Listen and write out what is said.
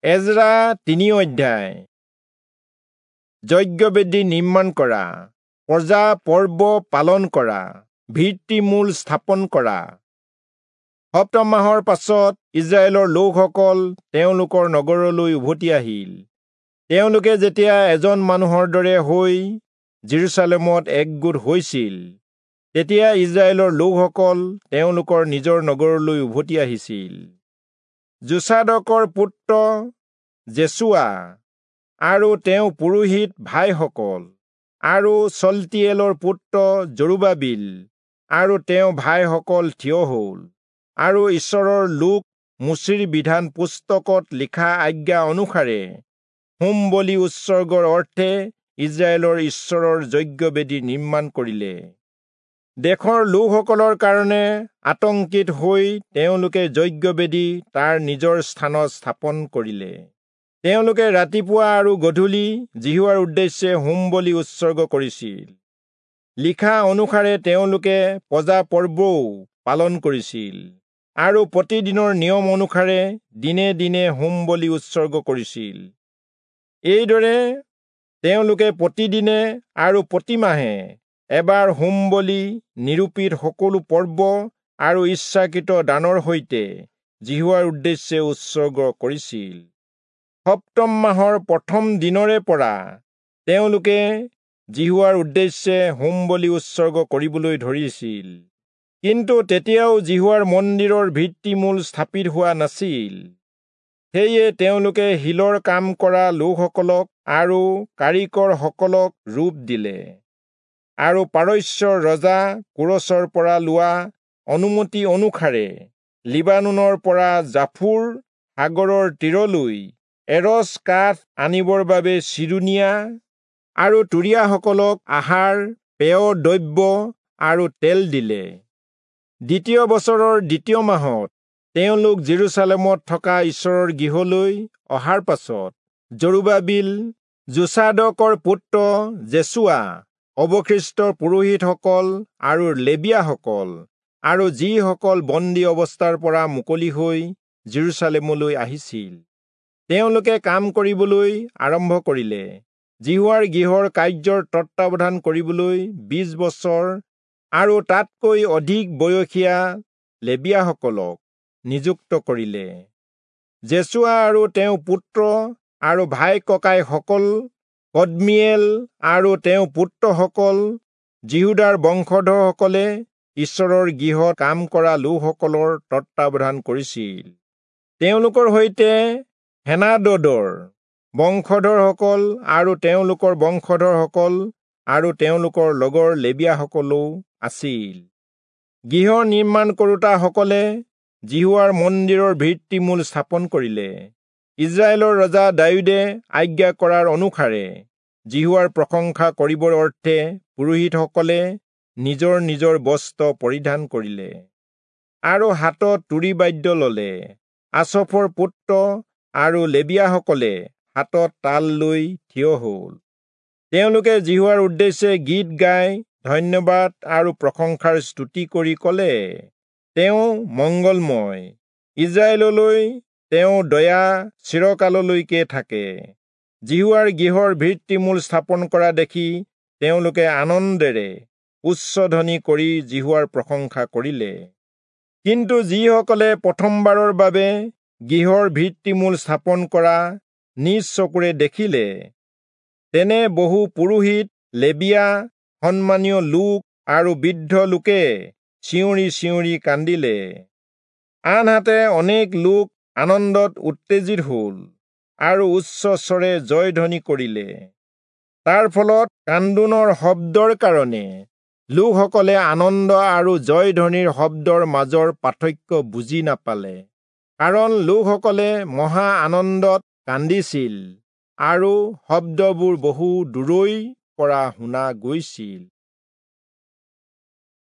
এজৰা 3 অধ্যায়। যজ্ঞবেদী নিৰ্মাণ কৰা, প্ৰজা পৰ্ব পালন কৰা, ভিত্তিমূল স্থাপন কৰা। সপ্তম মাহৰ পাছত ইজৰাইলৰ লোকসকল তেওঁলোকৰ নগৰলৈ উভতি আহিল। তেওঁলোকে যেতিয়া এজন মানুহৰ দৰে হৈ জেৰুচালেমত একগোট হৈছিল, তেতিয়া ইজৰাইলৰ লোকসকল তেওঁলোকৰ নিজৰ নগৰলৈ উভতি আহিছিল। যোচাদকৰ পুত্ৰ যেচুৱা আৰু তেওঁ পুৰোহিত ভাইসকল আৰু চল্টিয়েলৰ পুত্ৰ জৰুবাবিল আৰু তেওঁ ভাইসকল থিয় হ'ল আৰু ঈশ্বৰৰ লোক মোচিৰ বিধান পুস্তকত লিখা আজ্ঞা অনুসাৰে হোম বলি উৎসৰ্গৰ অৰ্থে ইজৰাইলৰ ঈশ্বৰৰ যজ্ঞবেদী নিৰ্মাণ কৰিলে। দেশৰ লোকসকলৰ কাৰণে আতংকিত হৈ তেওঁলোকে যজ্ঞবেদী তাৰ নিজৰ স্থানত স্থাপন কৰিলে। তেওঁলোকে ৰাতিপুৱা আৰু গধূলি যিহোৱাৰ উদ্দেশ্যে হোম বলি উৎসৰ্গ কৰিছিল। লিখা অনুসাৰে তেওঁলোকে প্ৰজা পৰ্বও পালন কৰিছিল আৰু প্ৰতিদিনৰ নিয়ম অনুসাৰে দিনে দিনে হোম বলি উৎসৰ্গ কৰিছিল। এইদৰে তেওঁলোকে প্ৰতিদিনে আৰু প্ৰতিমাহে এবাৰ হোম বলি, নিৰূপিত সকলো পৰ্ব আৰু ইচ্ছাকৃত দানৰ সৈতে যিহোৱাৰ উদ্দেশ্যে উৎসৰ্গ কৰিছিল। সপ্তম মাহৰ প্ৰথম দিনৰে পৰা তেওঁলোকে যিহোৱাৰ উদ্দেশ্যে হোম বলি উৎসৰ্গ কৰিবলৈ ধৰিছিল। কিন্তু তেতিয়াও যিহোৱাৰ মন্দিৰৰ ভিত্তিমূল স্থাপিত হোৱা নাছিল। সেয়ে তেওঁলোকে শিলৰ কাম কৰা লোকসকলক আৰু কাৰিকৰসকলক ৰূপ দিলে আৰু পাৰস্যৰ ৰজা কোৰচৰ পৰা লোৱা অনুমতি অনুসাৰে লিবানোনৰ পৰা জাফুৰ সাগৰৰ তীৰলৈ এৰচ কাঠ আনিবৰ বাবে চিৰোনীয়া আৰু তুৰীয়াসকলক আহাৰ, পেয় দ্ৰব্য আৰু তেল দিলে। দ্বিতীয় বছৰৰ দ্বিতীয় মাহত তেওঁলোক জেৰুচালেমত থকা ঈশ্বৰৰ গৃহলৈ অহাৰ পাছত জৰুবাবিল, যোচাদকৰ পুত্ৰ যেচুৱা, অৱশিষ্ট পুৰোহিতসকল আৰু লেবীয়াসকল আৰু যিসকল বন্দী অৱস্থাৰ পৰা মুকলি হৈ জেৰুচালেমলৈ আহিছিল, তেওঁলোকে কাম কৰিবলৈ আৰম্ভ কৰিলে। যিহোৱাৰ গৃহৰ কাৰ্যৰ তত্বাৱধান কৰিবলৈ 20 বছৰ আৰু তাতকৈ অধিক বয়সীয়া লেবীয়াসকলক নিযুক্ত কৰিলে। যেচুৱা আৰু তেওঁৰ পুত্ৰ আৰু ভাই ককাইসকল, কদ্মীয়েল আৰু তেওঁৰ পুত্ৰসকল, যিহূদাৰ বংশধৰসকলে ঈশ্বৰৰ গৃহত কাম কৰা লোকসকলৰ তত্বাৱধান কৰিছিল। তেওঁলোকৰ সৈতে হেনাদদৰ বংশধৰসকল আৰু তেওঁলোকৰ বংশধৰসকল আৰু তেওঁলোকৰ লগৰ লেবীয়াসকলো আছিল। গৃহ নিৰ্মাণ কৰোতাসকলে যিহোৱাৰ মন্দিৰৰ ভিত্তিমূল স্থাপন কৰিলে। ইজৰাইলৰ ৰজা দায়ূদে আজ্ঞা কৰাৰ অনুসাৰে যিহোৱাৰ প্ৰশংসা কৰিবৰ অৰ্থে পুৰোহিতসকলে নিজৰ নিজৰ বস্ত্ৰ পৰিধান কৰিলে আৰু হাতত তুৰী বাদ্য ললে। আচফৰ পুত্ৰ আৰু লেবীয়াসকলে হাতত তাল লৈ থিয় হল। তেওঁলোকে যিহোৱাৰ উদ্দেশ্যে গীত গাই ধন্যবাদ আৰু প্ৰশংসাৰ স্তুতি কৰি কলে, তেওঁ মংগলময়, ইজৰাইললৈ তেওঁ দয়া চিৰকাললৈকে থাকে। যিহোৱাৰ গৃহৰ ভিত্তিমূল স্থাপন কৰা দেখি তেওঁলোকে আনন্দেৰে উচ্চধ্বনি কৰি যিহোৱাৰ প্ৰশংসা কৰিলে। কিন্তু যিসকলে প্ৰথমবাৰৰ বাবে গৃহৰ ভিত্তিমূল স্থাপন কৰা নিজ চকুৰে দেখিলে, তেনে বহু পুৰোহিত, লেবীয়া, সন্মানীয় লোক আৰু বৃদ্ধ লোকে চিঞৰি চিঞৰি কান্দিলে। আনহাতে অনেক লোক আনন্দত উত্তেজিত হল আৰু উচ্চস্বৰে জয়ধ্বনি কৰিলে। তাৰ ফলত কান্দোনৰ শব্দৰ কাৰণে লোকসকলে আনন্দ আৰু জয়ধ্বনিৰ শব্দৰ মাজৰ পাৰ্থক্য বুজি নাপালে, কাৰণ লোকসকলে মহা আনন্দত কান্দিছিল আৰু শব্দবোৰ বহু দূৰৈৰ পৰা শুনা গৈছিল।